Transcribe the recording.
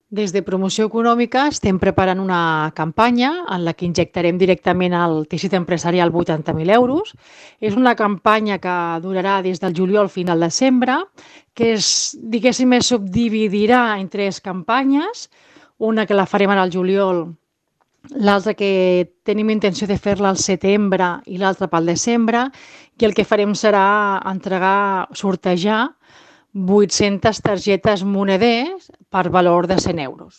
Des de Promoció Econòmica estem preparant una campanya en la que injectarem directament al teixit empresarial 80.000 euros. És una campanya que durarà des del juliol fins al desembre, que diguéssim, es subdividirà en tres campanyes, una que la farem ara al juliol, l'altra que tenim intenció de fer-la al setembre i l'altra pel desembre, i el que farem serà sortejar 800 targetes moneders per valor de 100 euros.